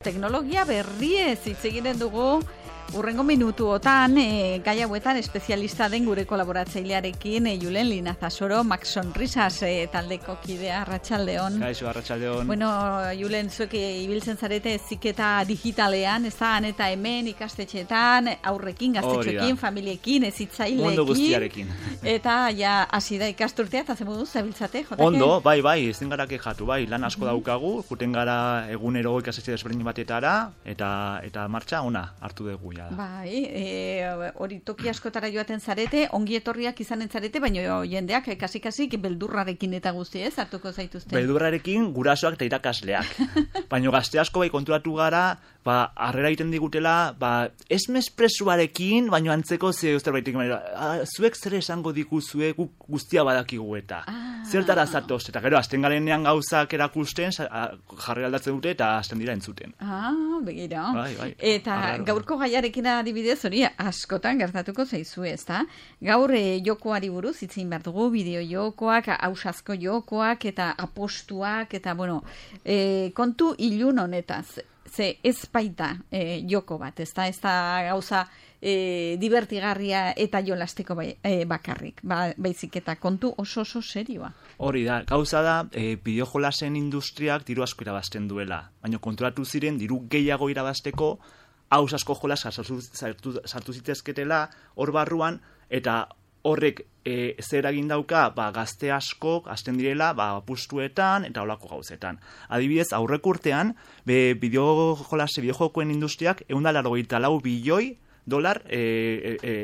Teknologia berriez hitz egiten dugu urrengo minutuotan gai hauetan espezialista den gure kolaboratzailearekin Julen Linazasoro, Max Sonrisas taldeko kidea, arratsaldeon. Kaixo, arratsaldeon. Bueno, Julen, zuek ibiltzen zarete heziketa digitalean, ez da, han eta hemen ikastetxeetan, aurrekin, gaztetxoekin, familiekin, hezitzaileekin. Mundu guztiarekin. Eta ja hasi da ikasturtea, eta zen moduz zabiltzate, jotake? Ondo, bai, ezin gara kexatu, bai, lan asko daukagu, juten gara egunero ikastetxe desberdin batetara, eta martxa ona hartu dugu. Bai, hori toki askotara joaten zarete, ongi etorriak izanen zarete, baina jendeak kasik beldurrarekin eta guzti ez, hartuko zaituzte. Beldurrarekin gurasoak eta irakasleak. Baina gazte asko bai konturatu gara, harrera egiten digutela, ez mespresuarekin, baina antzeko zerbaitik, zuek zer esango diguzue guztia badakigu eta. Zertara zatoz, eta gero, azten garenean gauzak erakusten, jarri aldatzen dute eta azten dira entzuten. Begira. Bai. Eta gaurko gaiarekin adibidez hori askotan gertatuko zaizu, ezta? Gaur jokoari buruz hitzein behar dugu, bideo jokoak, ausazko jokoak eta apostuak, eta kontu ilun honetaz. Ze ez baita joko bat, ezta? Ez da gauza divertigarria eta jolasteko bakarrik, baizik eta kontu oso serioa. Hori da, gauza da, bideojolasen industriak diru asko irabazten duela, baina konturatu ziren diru gehiago irabazteko haus asko jolas sartu zitezketela hor barruan, eta horrek zer egin dauka, gazte askok hasten direla apustuetan eta holako gauzetan. Adibidez, aurreko urtean, bideojokoen industriak $184 bilioi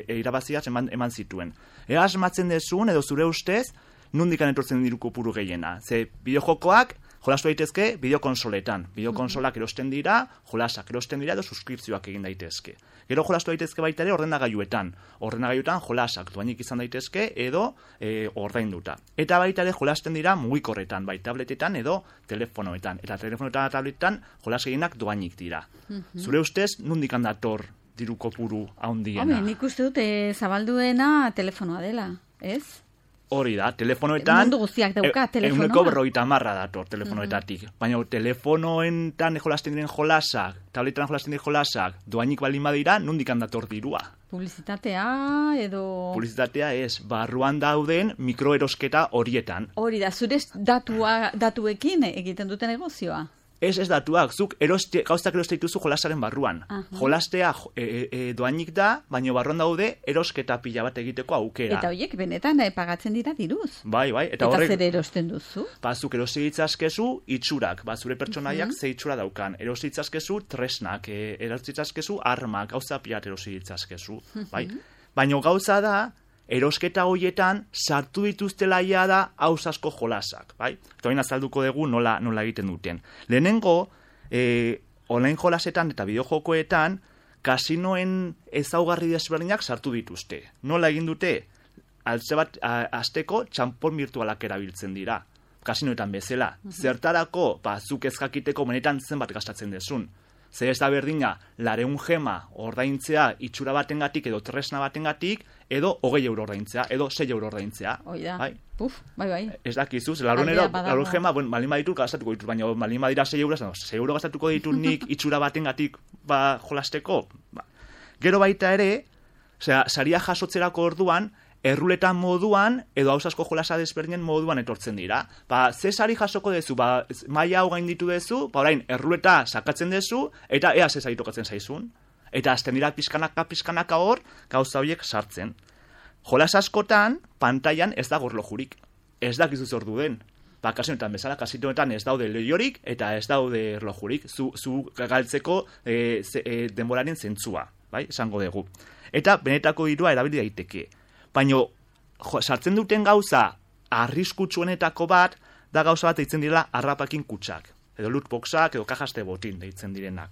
irabaziaz eman zituen. Ea asmatzen dezun, edo zure ustez, nundikan etortzen diru kopuru gehiena. Ze bideojokoak jolastu daitezke bideokonsoletan. Bideokonsolak erosten dira, jolasak erosten dira, edo suskripzioak egin daitezke. Gero jolastu daitezke baita ere ordenagailuetan. Ordenagailuetan jolasak doainik izan daitezke edo ordainduta. Eta baita ere jolasten dira mugikorretan, bai tabletetan edo telefonoetan. Eta telefonoetan eta tabletetan jolas gehienak doainik dira. Zure ustez, nundikan dator diru kopuru handiena? Nik uste dute zabalduena telefonoa dela, ez? Hori da, telefonoetan... Mundu guztiak dauka telefonoa. 150 dator telefonoetatik. Baina telefonoetan jolasten diren jolasak, tabletetan jolasten diren jolasak, doainik baldin badira, nundikan dator dirua. Publizitatea edo... Publizitatea ez, barruan dauden mikroerosketa horietan. Hori da, zure datuekin egiten dute negozioa. Ez datuak, zuk gauztak eroste dituzu jolasaren barruan. Jolastea doainik da, baina barruan daude erosketa pila bat egiteko aukera. Eta horiek benetan pagatzen dira diruz. Bai. Eta zer erosten duzu? Zuk eroste ditzazkezu itxurak, zure pertsonaiak ze itxura daukan. Eroste ditzazkezu tresnak, eroste ditzazkezu armak, gauza pila bat eroste ditzazkezu. Baina gauza da, erosketa horietan sartu dituztela da haus asko jolasak, bai? Eta hori azalduko dugu nola egiten duten. Lehenengo, online jolasetan eta bideojokoetan, kasinoen ezaugarri desberdinak sartu dituzte. Nola egin dute? Altze bat azteko txanpon virtualak erabiltzen dira. Kasinoetan bezala. Zertarako, zuk ez jakiteko benetan zenbat gastatzen dezun. Zer ez da berdina, 200 gema ordaintzea itxura batengatik edo tresna batengatik, edo €20 ordaintzea, edo €6 ordaintzea. Oida, bai. Ez dakizuz, 200 gema, balin baditut gastatuko ditut, baina balin badira €6, €6 gastatuko ditut nik itxura batengatik jolasteko. Gero baita ere, saria jasotzerako orduan, erruletan moduan, edo haus asko jolasa desberdinen moduan etortzen dira. Ze sari jasoko dezu, maila hau gainditu dezu, orain erruleta sakatzen dezu, eta ea ze sari tokatzen zaizun. Eta azten dira pizkanaka hor, gauza horiek sartzen. Jolas askotan, pantailan ez da gorlojurik. Ez dakizu zer duden. Kasinoetan bezala, kasinoetan ez daude leiorik, eta ez daude erlojurik. Zu galtzeko denboraren zentzua, esango dugu. Eta benetako dirua erabili daiteke. Baina sartzen duten gauza arriskutsuenetako bat, da gauza bat deitzen direla harrapakin kutsak. Edo lootboxak, edo kajaste botin deitzen direnak.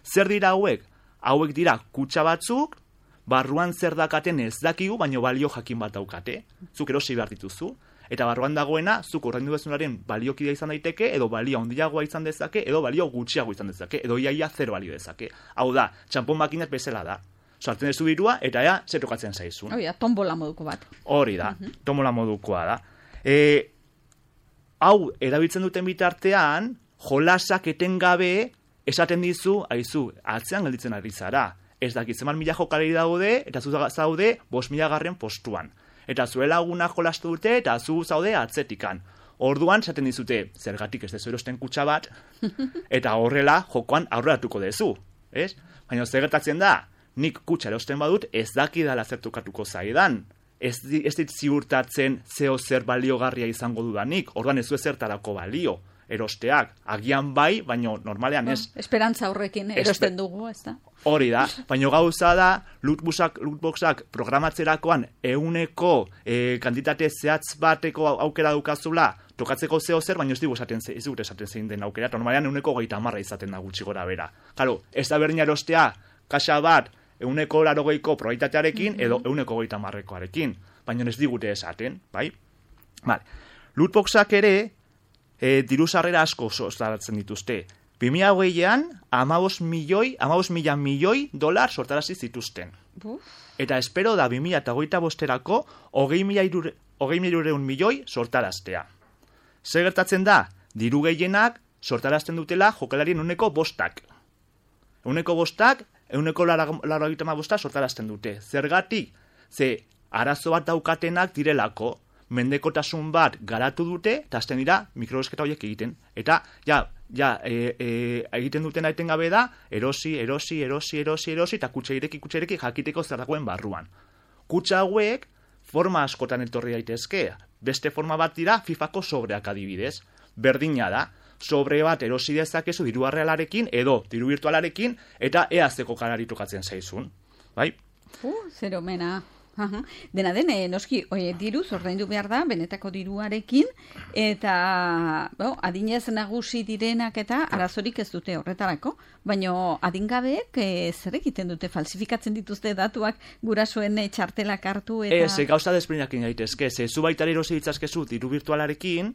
Zer dira hauek? Hauek dira kutsa batzuk, barruan zer dakaten ez dakigu, baina balio jakin bat daukate. Zuk erosi behar dituzu. Eta barruan dagoena, zuk ordaindu bezunaren baliokidea izan daiteke, edo balio handiagoa izan dezake, edo balio gutxiago izan dezake, edo iaia zero balio dezake. Hau da, txanpon makinat bezala da. Sartzen dezu dirua, eta ea, zer tokatzen zaizun. Hori da, tombola moduko bat. Hori da, tombola modukoa da. Hau, erabiltzen duten bitartean, jolasak etengabe esaten dizu, aizu, atzean gelditzen ari zara. Ez dakit zeman 1000 jokalari daude, eta zu zaude 5.000 postuan. Eta zure lagunak jolastu dute, eta zu zaude atzetikan. Orduan, esaten dizute, zergatik ez dezu erosten kutxa bat, eta horrela jokoan aurreratuko dezu. Ez? Baina zer gertatzen da, nik kutxa erosten badut, ez dakidala zertukatuko zaidan. Ez dit ziurtatzen zeo zer baliogarria izango dudanik, orduan ez du ezertarako balio. Erosteak, agian bai, baina normalean ez. Esperantza horrekin erosten dugu, ez da? Hori da, baina gauza da, lootboxak programatzerakoan euneko kantitate zehatz bateko aukera dukazula, tokatzeko zeo zer, baina ez dugu esaten zein den aukera, normalean euneko 30 izaten da gutxi gora bera. Claro, ez da berdina erostea, kaxa bat, euneko 80ko probabilitatearekin, edo euneko 30koarekin, baina ez digute esaten, bai? Vale. Lootboxak ere, diru sarrera asko sortaratzen dituzte. 2020an, 15.000 milioi dolar sortarazi zituzten. Eta espero da 2025erako 20.000 milioi sortaraztea. Zer gertatzen da, diru gehienak sortarazten dutela jokalarien uneko 5. Uneko 5, uneko 85 sortarazten dute. Zergatik, ze arazo bat daukatenak direlako, mendekotasun bat garatu dute, eta azten dira mikroesketa horiek egiten. Eta, egiten duten aiten gabe da, erosi, eta kutsa ireki jakiteko zer dagoen barruan. Kutsa hauek, forma askotan etorri daitezke. Beste forma bat dira, FIFAko sobreak adibidez. Berdina da, sobre bat erosi dezakezu diru arrealarekin, edo diru virtualarekin, eta eazeko kanari tokatzen zaizun. Bai? Zer omena. Dena den, noski, diruz ordaindu behar da, benetako diruarekin, eta adinez nagusi direnak eta arazorik ez dute horretarako, baina adingabeek zer egiten dute, falsifikatzen dituzte datuak gurasoen txartelak hartu eta... Ez, gauza desberdinak daitezke, zu baitari erosi ditzazkezu diru virtualarekin,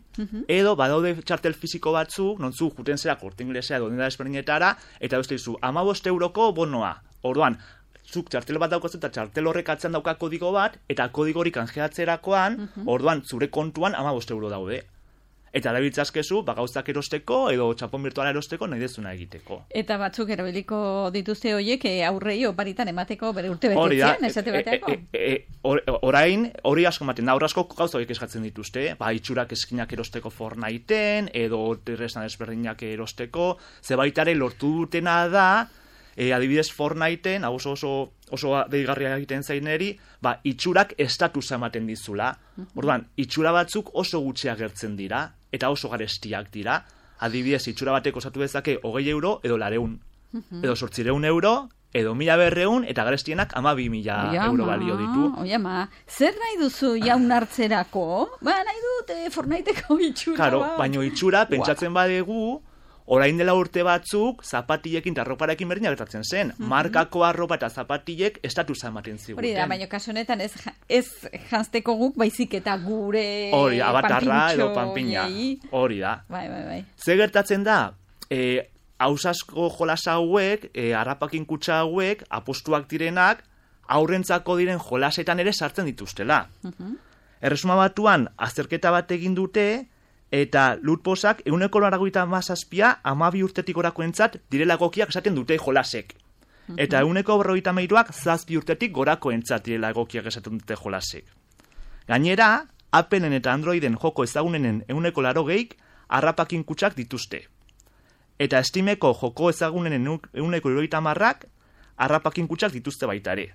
edo badaude txartel fisiko batzu, nontzu juten zera Corte Inglesea edo denda desberdinetara, eta beste dizu, 15 euroko bonoa, orduan, zuk txartel bat daukazu eta txartel horrek atzean dauka kodigo bat, eta kodigori kanjeatzerakoan, orduan zure kontuan 15 euro daude. Eta erabiltzazkezu, gauzak erosteko, edo txapon virtuala erosteko, nahi dezuna egiteko. Eta batzuk erabiliko dituzte horiek aurrei oparitan emateko bere urte betetzean, esate bateako? Orain, hori asko ematen da, hori asko gauza horiek eskatzen dituzte, itxurak eskinak erosteko Fortniten, edo terresna desberdinak erosteko, zebaitare lortu dutena da, adibidez Fortniten, oso deigarria egiten zaineri, itxurak estatusa ematen dizula. Orduan, itxura batzuk oso gutxi agertzen dira, eta oso garestiak dira. Adibidez, itxura batek osatu dezake 20 euro edo 200. Edo 800 euro, edo 1200, eta garestienak 12.000 euro balio ditu. Oiama, zer nahi duzu jaun hartzerako? Nahi dut Fortniteko itxura. Claro, baino itxura, pentsatzen badegu, orain dela urte batzuk, zapatilekin eta arroparekin berdina gertatzen zen. Markako arropa eta zapatilek estatusa ematen ziguten. Hori da, baina kasu honetan ez janzteko guk, baizik eta gure hori, abatarra edo panpina. Hori da. Bai. Ze gertatzen da, hausasko jolas hauek, harrapakin kutsa hauek, apostuak direnak, aurrentzako diren jolasetan ere sartzen dituztela. Erresuma Batuan, azterketa bat egin dute, eta lootboxak 197 12 urtetik gorakoentzat direla egokiak esaten dute jolasek. Eta 153ak 7 urtetik gorakoentzat direla egokiak esaten dute jolasek. Gainera, Appleen eta Androiden joko ezagunenen 180 harrapakin kutsak dituzte. Eta Steameko joko ezagunenen 170ak harrapakin kutsak dituzte baita ere.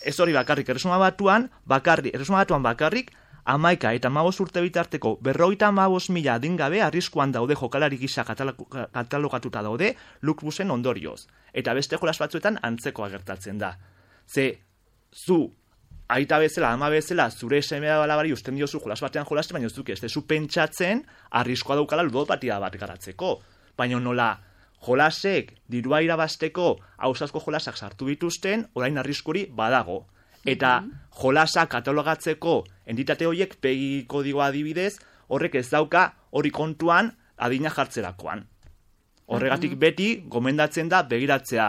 Ez hori bakarrik, Erresuma Batuan bakarrik, 11 eta 15 urte bitarteko 55.000 adingabe arriskuan daude jokalari gisa katalogatuta daude lootboxen ondorioz. Eta beste jolas batzuetan antzekoa gertatzen da. Ze, zu, aita bezala, ama bezala, zure seme alabari usten diozu jolas batean jolaste, baina zuke ez dezu pentsatzen arriskoa daukala ludopatia bat garatzeko. Baina nola, jolasek dirua irabasteko hausazko jolasak sartu dituzten, orain arriskuri badago. Eta jolasa katalogatzeko entitate horiek pegi kodigoa adibidez, horrek ez dauka hori kontuan adina jartzerakoan. Horregatik beti gomendatzen da begiratzea,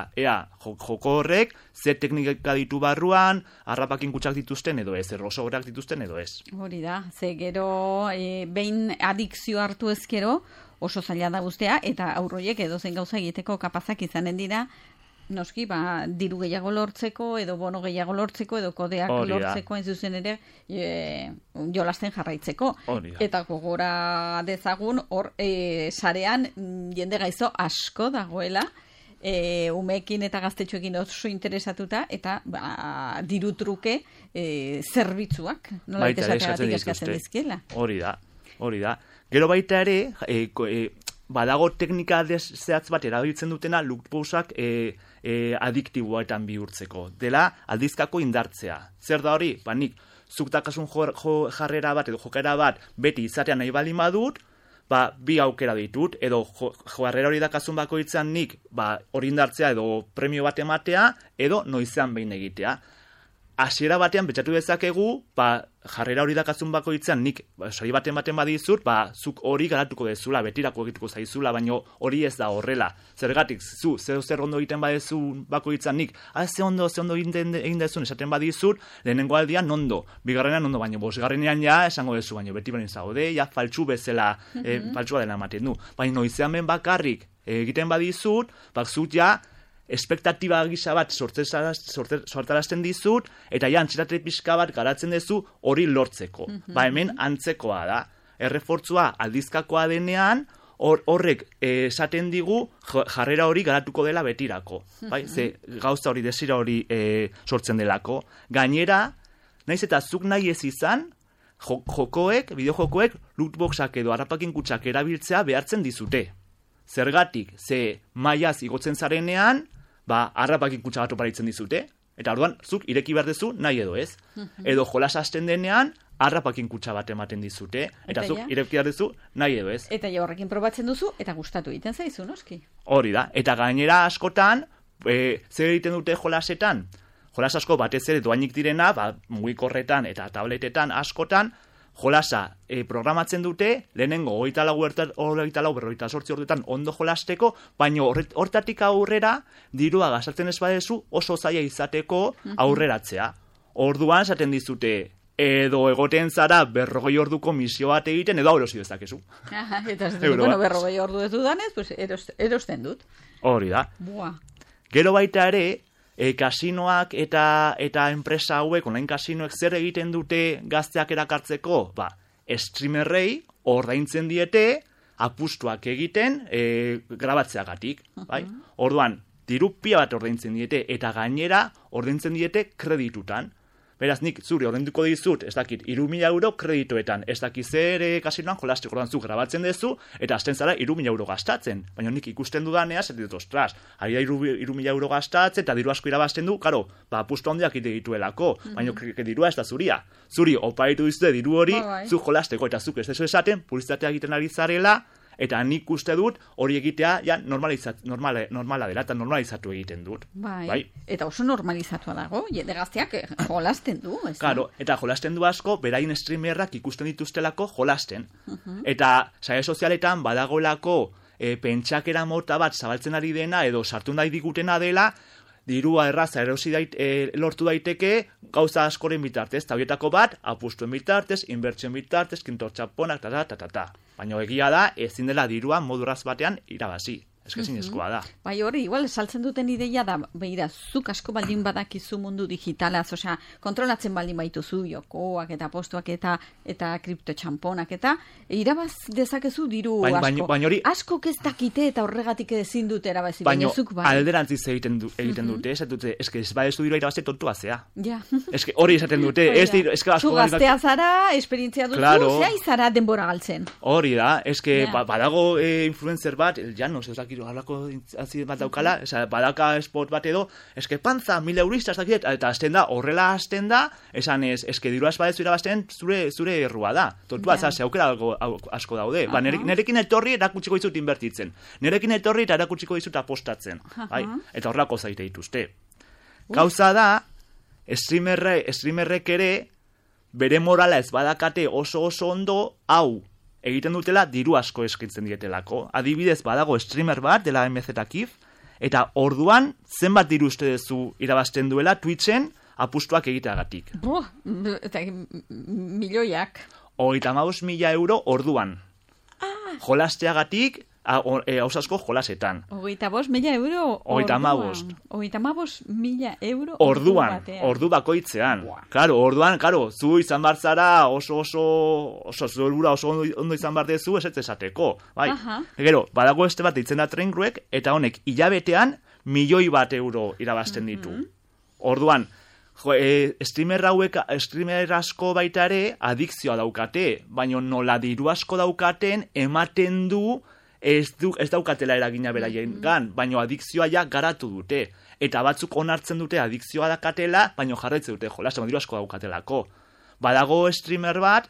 joko horrek ze teknika ditu barruan, harrapakin kutsak dituzten edo ez, errosogorak dituzten edo ez. Hori da, ze gero behin adikzio hartu ezkero, oso zaila da guztea, eta aurroiek edozein gauza egiteko kapazak izanen dira, noski, diru gehiago lortzeko, edo bono gehiago lortzeko, edo kodeak lortzeko, hain zuzen ere, jolasten jarraitzeko. Eta gogora dezagun, hor, sarean, jende gaizo asko dagoela, umeekin eta gaztetxoekin oso interesatuta, eta diru truke zerbitzuak, nola esateagatik eskatzen dizkiela. Hori da. Gero baita ere, badago teknika zehatz bat erabiltzen dutena lootboxak adiktiboetan bihurtzeko. Dela, aldizkako indartzea. Zer da hori? Nik zuk dakasun jarrera bat edo jokera bat beti izatea nahi baldin badut, bi aukera ditut, edo jarrera hori dakazun bakoitzan nik hori indartzea edo premio bat ematea, edo noizean behin egitea. Hasiera batean betxatu dezakegu, jarrera hori dakazun bakoitzan nik sari baten badizut, zuk hori garatuko dezula, betirako egituko zaizula, baina hori ez da horrela. Zergatik, zer ondo egiten badezu bakoitzan nik, ze ondo egin dezun esaten badizut, lehenengo aldian ondo, bigarrenean ondo, baina bosgarrenean ja esango dezu, baina beti benin zaude, ja faltsu bezala, faltsua dela ematen du. Baina noizean ben bakarrik egiten badizut, zut ja, espektatiba gisa bat sortarazten dizut, eta ja antxetate pixka bat garatzen dezu hori lortzeko. Hemen antzekoa da. Errefortzua aldizkakoa denean, horrek esaten digu jarrera hori garatuko dela betirako. Ze gauza hori, desira hori sortzen delako. Gainera, naiz eta zuk nahi ez izan, bideojokoek, lootboxak edo harrapakin kutsak erabiltzea behartzen dizute. Zergatik, ze mailaz igotzen zarenean, harrapakin kutsa bat oparitzen dizute, eta orduan, zuk ireki behar dezu nahi edo ez. Edo jolas hasten denean, harrapakin kutsa bat ematen dizute, eta zuk ireki behar dezu nahi edo ez. Eta ja horrekin probatzen duzu, eta gustatu egiten zaizu, noski? Hori da, eta gainera askotan, zer egiten dute jolasetan? Jolas asko batez ere doainik direna, mugikorretan eta tabletetan askotan, jolasa programatzen dute, lehenengo 24-48 orduetan ondo jolasteko, baina hortatik aurrera, dirua gastatzen ez badezu oso zaila izateko aurreratzea. Orduan esaten dizute, edo egoten zara 40 orduko misio bat egiten, edo erosi dezakezu. Eta ez dut, 40 ordu ez dudanez, erosten dut. Hori da. Gero baita ere, kasinoak eta enpresa hauek, online kasinoek zer egiten dute gazteak erakartzeko? Streamerrei ordaintzen diete apustuak egiten grabatzeagatik. Orduan, diru pila bat ordaintzen diete, eta gainera ordaintzen diete kreditutan. Beraz, nik zuri ordainduko dizut, ez dakit, 3.000 euro kredituetan, ez dakit zer kasinoan jolasteko orduan zu grabatzen dezu, eta hasten zara 3.000 euro gastatzen. Baina nik ikusten dudanea, zer ditut, ostras, ari da 3.000 euro gastatzen, eta diru asko irabazten du, karo, apustu handiak ite dituelako, baina dirua ez da zuria. Zuri, oparitu dizute diru hori, zu jolasteko, eta zuk ez dezu esaten, publizitatea egiten ari zarela, eta nik uste dut hori egitea ja normala dela eta normalizatu egiten dut. Eta oso normalizatua dago, jende gazteak jolasten du. Claro, eta jolasten du asko, berain streamerrak ikusten dituztelako jolasten. Eta sare sozialetan badagolako pentsakera mota bat zabaltzen ari dena edo sartu nahi digutena dela, dirua erraza lortu daiteke gauza askoren bitartez, eta horietako bat, apustuen bitartez, inbertsioen bitartez, kintortxaponak, Baina egia da, ezin dela dirua moduraz batean irabazi. Ezinezkoa da. Bai hori, igual, saltzen duten ideia da, behira, zuk asko baldin badakizu mundu digitalaz, osea, kontrolatzen baldin baituzu, jokoak eta postuak eta kriptotxamponak eta irabaz dezakezu diru asko. Asko ez dakite eta horregatik ezin dute erabazi, baina zuk bai. Alderantziz egiten dute, ez badezu dirua irabazte tontua zea. Hori esaten dute, zu gaztea zara, esperientzia duzu, zea izara denbora galtzen. Hori da, badago influencer bat, Llanos, ez dakit harlako bat daukala, badaka spot bat edo, panza, 1.000 eurista, eta horrela hasten da, esan dirua espadezu irabazten zure errua da. Tontua, ze aukera asko daude. Nerekin etorri erakutsiko dizut inbertitzen. Nerekin etorri eta erakutsiko dizut apostatzen. Eta horrelako zaite dituzte. Gauza da, streamerrek ere, bere morala ez badakate oso ondo, hau, egiten dutela diru asko eskaintzen dietelako. Adibidez, badago streamer bat dela MZKIF, eta orduan zenbat diru uste duzu irabazten duela Twitchen apustuak egiteagatik. Eta milioiak. 35.000 euro orduan. jolasteagatik, hausasko jolasetan. 35.000 euro orduan. 35.000 euro ordu bakoitzean. Orduan, zu izan barzara oso zuelbura oso ondo izan bar dezu esateko. Bai. Gero, badago este bat ditzen da Trainwreck, eta honek hilabetean 1.000.000 euro irabazten ditu. Orduan, streamer asko baita ere adikzioa daukate, baina nola diru asko daukaten ematen du ez daukatela eragina beraien gan, baina adikzioa ja garatu dute. Eta batzuk onartzen dute adikzioa dakatela, baina jarraitzen dute jolasten, diru asko daukatelako. Badago streamer bat,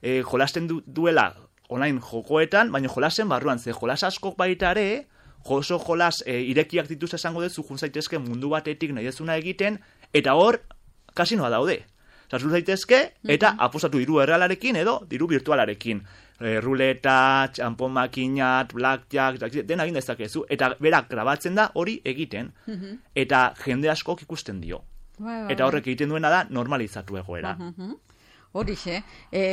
jolasten duela online jokoetan, baina jolasen barruan, ze jolas asko baita ere, oso jolas irekiak dituz esango dezu, jun zaitezke mundu batetik nahi dezuna egiten, eta hor, kasinoa daude. Zazun zaitezke, eta apostatu diru errealarekin edo diru virtualarekin. Ruleta, txampon makinat, blackjack, dena egin dezakezu, eta berak grabatzen da hori egiten, eta jende askok ikusten dio. Eta horrek egiten duena da normalizatu egoera. Horixe,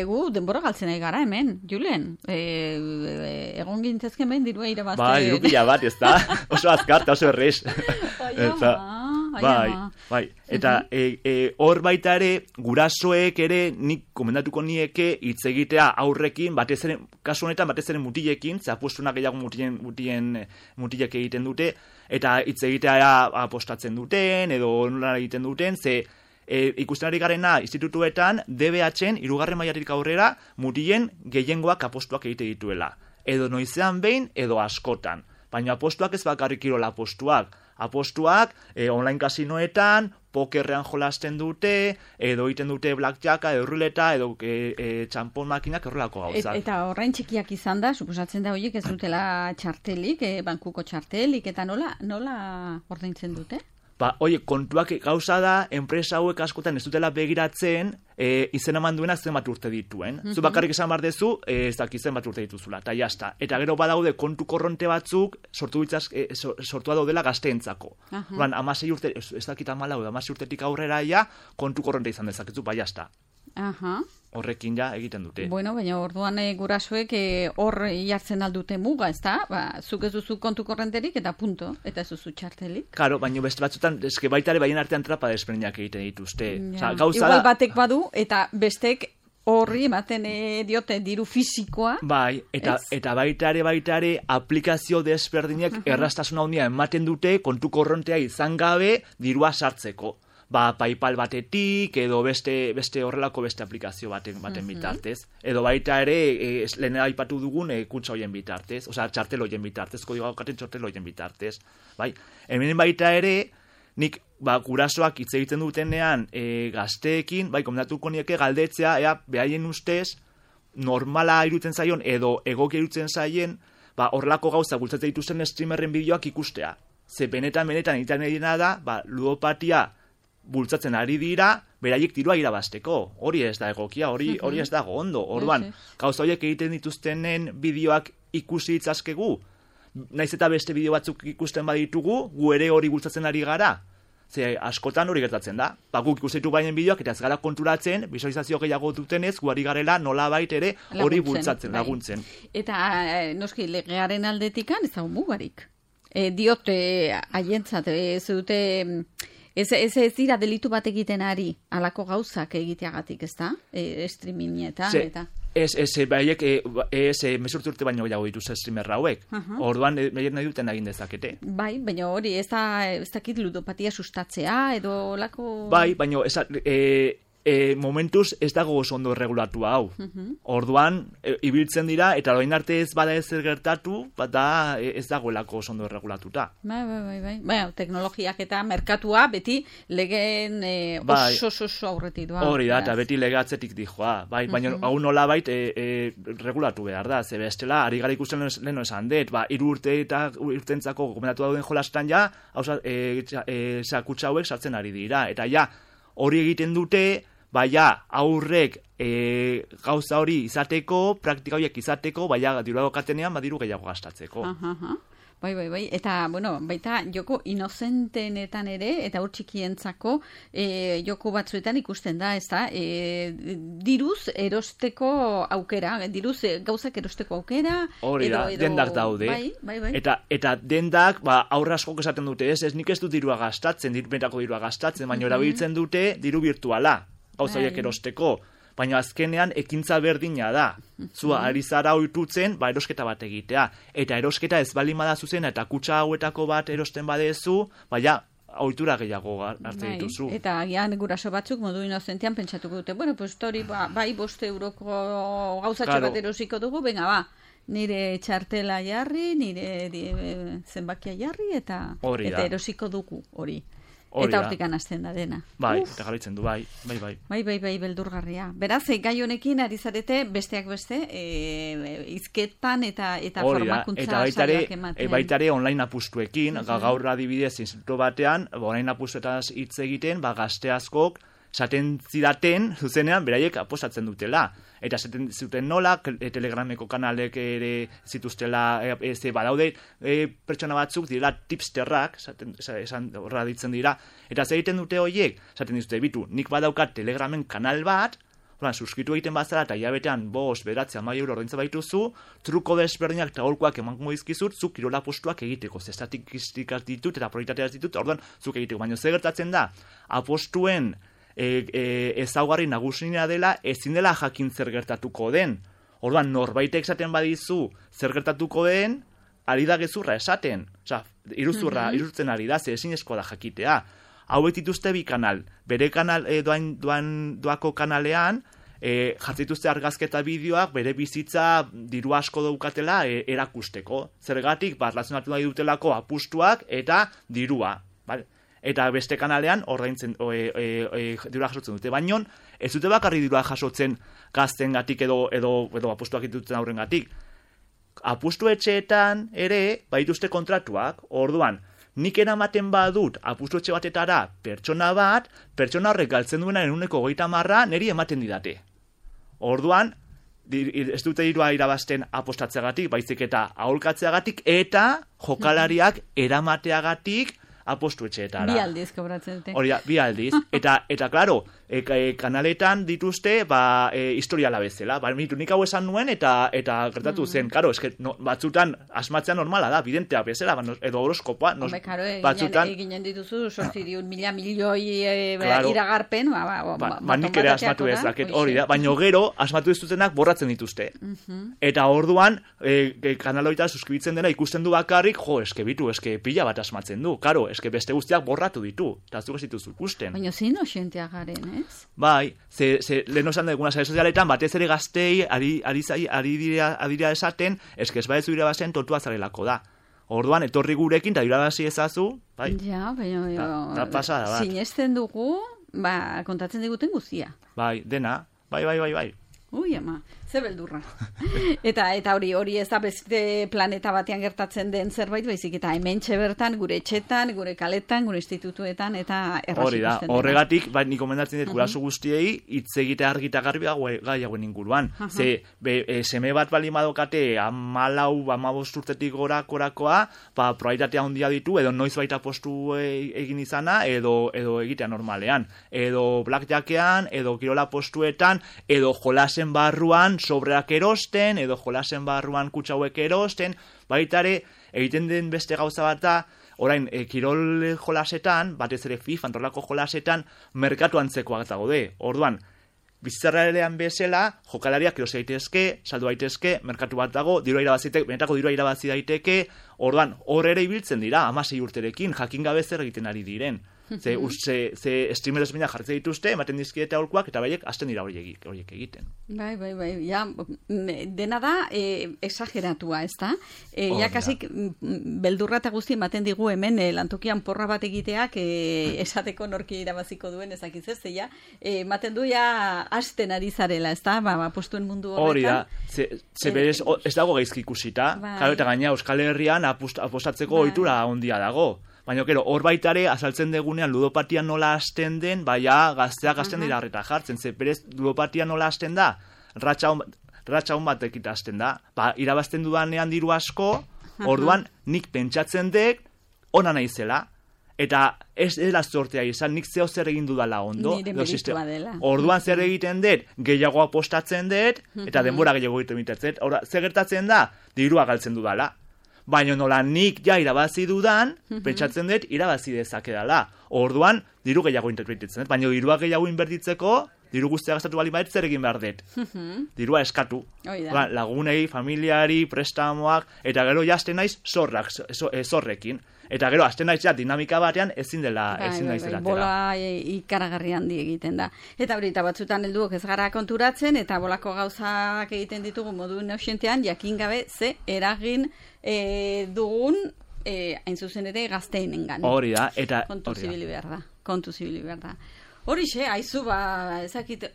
gu denbora galtzen nahi gara hemen, Julen, egon gintzezken behin dirua irabazte. Bai, diru pila bat, ez da, oso azkarta, oso errez. Bai, eta hor baita ere, gurasoek ere, nik komendatuko nieke hitz egitea aurrekin, kasu honetan batez ere mutilekin, zapuestunak gehiago mutilek egiten dute, eta hitz egitea apostatzen duten, edo nola egiten duten, ze ikusten ari garena institutuetan, DBH-en, 3. mailatik aurrera, mutilen gehiengoak apostuak egite dituela. Edo noizean behin, edo askotan. Baina apostuak ez bakarrik kirola apostuak, online kasinoetan, pokerrean jolasten dute, edo egiten dute blackjacka, edo ruleta, edo txampon makinak errolako gauzak. Eta horrein txikiak izan da, suposatzen da horiek ez dutela txartelik, bankuko txartelik, eta nola ordaintzen dute? Kontuak gauza da, enpresa hauek askotan ez dutela begiratzen, izen eman duena zenbat urte dituen. Zu bakarrik esan behar dezu, ez dakit zenbat urte dituzula, eta jazta. Eta gero badaude kontu korronte batzuk sortua daudela gazteentzako. 16 urte, ez dakit 16 urtetik aurrera kontu korronte izan dezakezu, bai jazta. Horrekin ja egiten dute. Bueno, baina orduan gurasoek hor jartzen aldute muga, ez da? Zuk ez duzu kontu korrenterik eta punto, eta ez duzu txartelik. Karo, baina beste batzutan, eske baita ere baien artean trapa desberdinak egiten dituzte. Igual batek badu, eta bestek horri ematen diote diru fisikoa. Bai, eta baita ere aplikazio desberdinak erraztasuna handia ematen dute kontu korrontea izan gabe dirua sartzeko. PayPal batetik, edo beste horrelako beste aplikazio baten bitartez. Edo baita ere, lehen aipatu dugun kutsa hoien bitartez, osea, txartel hoien bitartez, kodigoa daukaten txartel hoien bitartez. Bai? Hemen baita ere, nik gurasoak hitz egiten dutenean gazteekin, komendatuko nieke galdetzea, behaien ustez, normala irutzen zaion, edo egokia irutzen zaien, horrelako gauza bultzatzen dituzten streamerren bideoak ikustea. Ze benetan egiten edina da, ludopatia bultzatzen ari dira, beraiek dirua irabazteko. Hori ez da egokia, hori ez dago ondo. Orduan, gauza horiek egiten dituztenen bideoak ikusi ditzazkegu, naiz eta beste bideo batzuk ikusten baditugu, gu ere hori bultzatzen ari gara. Ze askotan hori gertatzen da. Guk ikusten ditugu bainen bideoak, eta ez gara konturatzen, visualizazio gehiago dutenez, gu ari garela nolabait ere hori bultzatzen, laguntzen. Eta, noski, legearen aldetikan, ez da mugarik. Diote, haientzat, ez dute... Ez dira delitu bat egiten ari, alako gauzak egiteagatik, ez da? Streamingetan, eta... Baiek, mesurtu urte baino gehiago dituz streamer hauek. Orduan, baiek nahi duten egin dezakete. Bai, baina hori, ez dakit ludopatia sustatzea, edo lako... Bai, baina momentuz ez dago oso ondo erregulatu hau. Orduan, ibiltzen dira, eta orain arte ez bada ezer gertatu, bada ez dagoelako oso ondo erregulatuta. Bai. Teknologiak eta merkatua beti legeen oso aurretik doa. Hori da, eta beti lege atzetik dijoa. Bai, baina hau nola bait regulatu behar da. Ze bestela, ari gara ikusten leheno esan dut, 3 urte eta urtentzako gomendatu dauden jolastan ja, kutsa hauek sartzen ari dira. Eta ja, hori egiten dute, aurrek gauza hori izateko, praktika horiek izateko, diru dagokatenean, diru gehiago gastatzeko. Bai. Eta, bueno, baita joko inozentenetan ere, eta hor txikientzako joko batzuetan ikusten da, ez da? Diruz erosteko aukera, gauzak erosteko aukera. Hori da, dendak daude. Bai. Eta dendak, aurra askok esaten dute, ez nik ez du dirua gastatzen, benetako dirua gastatzen, baina erabiltzen dute diru virtuala, gauza horiek erosteko. Baina azkenean ekintza berdina da. Zua, ari zara oitutzen, erosketa bat egitea. Eta erosketa ez bali bada zuzena, eta kutsa hauetako bat erosten badezu, ohitura gehiago hartzen dituzu. Eta agian guraso batzuk modu inozentian pentsatuko dute, bueno, pues hori, 5 euroko gauzatxo bat erosiko dugu, venga, nire txartela jarri, nire zenbakia jarri, eta erosiko dugu hori. Eta hortik anazten da dena. Eta galitzen du, bai. Bai, beldurgarria. Beraz, gai honekin ari zarete besteak beste, izketan eta formakuntza saioak ematen. Baitare online apustuekin, gaur adibidez instituto batean, online apustuetaz hitz egiten, gazte askok, esaten zidaten, zuzenean, beraiek apostatzen dutela. Eta esaten zuten nola, Telegrameko kanalek ere zituztela, badaude pertsona batzuk direla tipsterrak, esan horra ditzen dira. Eta zer egiten dute horiek, esaten dizute, bitu, nik badaukat Telegramen kanal bat, suskritu egiten bazara eta hilabetean 5, 9, 10 euro ordaintzen baituzu, truko desberdinak eta holkoak emango dizkizut, zuk kirola postuak egiteko, estatistikak ditut eta probabilitateak ditut, orduan zuk egiteko. Baina zer gertatzen da, apostuen ezaugarri nagusina dela, ezin dela jakin zer gertatuko den. Orduan, norbaitek esaten badizu zer gertatuko den, ari da gezurra esaten. Osa, iruzurtzen ari da, ezinezkoa da jakitea. Hauek dituzte bi kanal. Bere kanal doako kanalean, jatzituzte argazketa bideoak bere bizitza diru asko daukatela erakusteko. Zergatik, relazionatu nahi dutelako apustuak eta dirua. Eta beste kanalean ordaintzen dirua jasotzen dute. Baina ez dute bakarri dirua jasotzen gaztengatik edo apustuak dituzten aurrengatik. Apustu etxeetan ere baituzte kontratuak. Orduan, nik eramaten badut apustu etxe batetara pertsona horrek galtzen duena 130 niri ematen didate. Orduan, ez dute dirua irabazten apostatzeagatik, baizik eta aholkatzeagatik eta jokalariak eramateagatik apostu etxeetara. Bi aldiz kobratzen dute. Hori da, bi aldiz. Eta klaro, kanaletan dituzte, historiala bezala. Nik hau esan nuen eta gertatu zen. Klaro, batzutan asmatzea normala da, bidentea bezala, edo horoskopoa. Eginen dituzu, 800.000 milioi iragarpen. Nik ere asmatu ezaket, hori da. Baina gero, asmatu dituzenak borratzen dituzte. Eta orduan, kanaloita suskribitzen dena ikusten du bakarrik, pila bat asmatzen du. Klaro, beste guztiak borratu ditu, eta zuk ez dituzu ikusten. Baina zein osenteak garen, ez? Bai, lehen osan duguna sare sozialetan, batez ere gaztei ari dira esaten, ez badezu irabazen tortua zarelako da. Orduan, etorri gurekin, eta irabazi ezazu, bai. Ja, baina, pasada, bat. Sinesten dugu, kontatzen diguten guztia. Bai, dena, bai. Ui, ama, ze beldurra. Eta hori ez da beste planeta batean gertatzen den zerbait, baizik eta hementxe bertan, gure etxetan, gure kaletan, gure institutuetan, eta erraz hori da, ikusten dena. Horregatik, nik komendatzen dut guraso guztiei, hitz egite argita garbi gai hauen inguruan. Seme bat bali madokate, 14-15 urtetik gorakoa, probabilitatea handia ditu, edo noiz baita postu egin izana, edo egitea normalean. Edo blackjackean, edo kirola postuetan, edo jolasen barruan sobreak erosten, edo jolasen barruan kutsauek erosten, baitare egiten den beste gauza bat da, orain, kirol jolasetan, batez ere FIFA, antorlako jolasetan, merkatu antzekoak daude. Orduan, bizitzarrean bezala, jokalariak eros daitezke, saldu daitezke, merkatu bat dago, benetako dirua irabazi daiteke, orduan, hor ere ibiltzen dira, 16 urterekin, jakin gabe zer egiten ari diren. Ze streamer ezbina jartzen dituzte, ematen dizkiete aholkuak, eta baiek hasten dira horiek egiten. Bai, ja, dena da exageratua, ez da? Ja, kasik, beldurra eta guzti ematen digu hemen lantokian porra bat egiteak esateko norki irabaziko duen ezakiz ez, ja, ematen du ja hasten ari zarela, ez da? Postuen mundu horretan. Hori da, ze berez, ez dago gaizki ikusita, eta gaina Euskal Herrian apostatzeko ohitura handia dago. Baina, hor baitare, azaltzen degunean ludopatia nola hasten den, gazteak hasten dira harreta jartzen. Ze berez, ludopatia nola hasten da, ratxa hon bat ekita hasten da. Irabazten dudanean diru asko, Orduan, nik pentsatzen dek, ona naizela, eta ez dela zortea izan, nik zeo zer egin dudala ondo. Nire meritua dela. Orduan zer egiten dut, gehiago apostatzen dut, eta denbora gehiago egiten mitatzen. Zer gertatzen da, dirua galtzen dudala. Baina nola nik ja irabazi dudan, pentsatzen dut irabazi dezakedala. Orduan, diru gehiago interpretatzen dut. Baina dirua gehiago inbertitzeko, diru guztia gastatu bali bait zer egin behar dut. Dirua eskatu. Lagunei, familiari, prestamoak, eta gero jazten naiz zorrekin. Eta gero, azten naiz dinamika batean ezin naizela. Bola ikaragarri handi egiten da. Eta hori, eta batzutan helduok ez gara konturatzen, eta bolako gauzak egiten ditugu modu neusientean, jakin gabe ze eragin dugun, hain zuzen ere, gazteinengan. Hori da, eta... Kontu zibili behar da. Horixe, haizu, ezakit,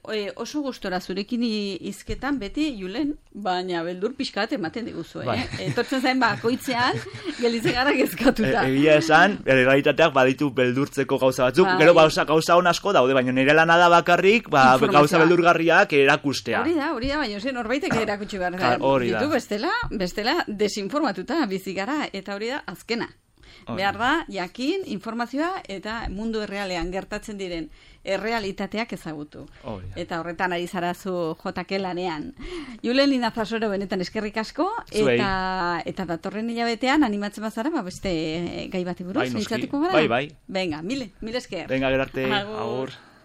oso gustora zurekin izketan beti, Julen, baina beldur pixkat ematen diguzu, Etortzen zain bakoitzean, gelitzen gara gezkatuta. Egia esan, realitateak baditu beldurtzeko gauza batzuk, gero gauza hon asko daude, baina nire lana da bakarrik, gauza beldurgarriak erakustea. Hori da, baina zen horbaitek erakutsi behar da. Ditu bestela desinformatuta bizi gara, eta hori da azkena. Behar da, jakin, informazioa eta mundu errealean gertatzen diren errealitateak ezagutu. Eta horretan ari zarazu JK lanean. Julen Linazasoro benetan eskerrik asko, eta datorren hilabetean animatzen bazara, beste gai bati buruz, mintzatuko gara? Bai. Venga, mil esker. Venga, gerarte, agur.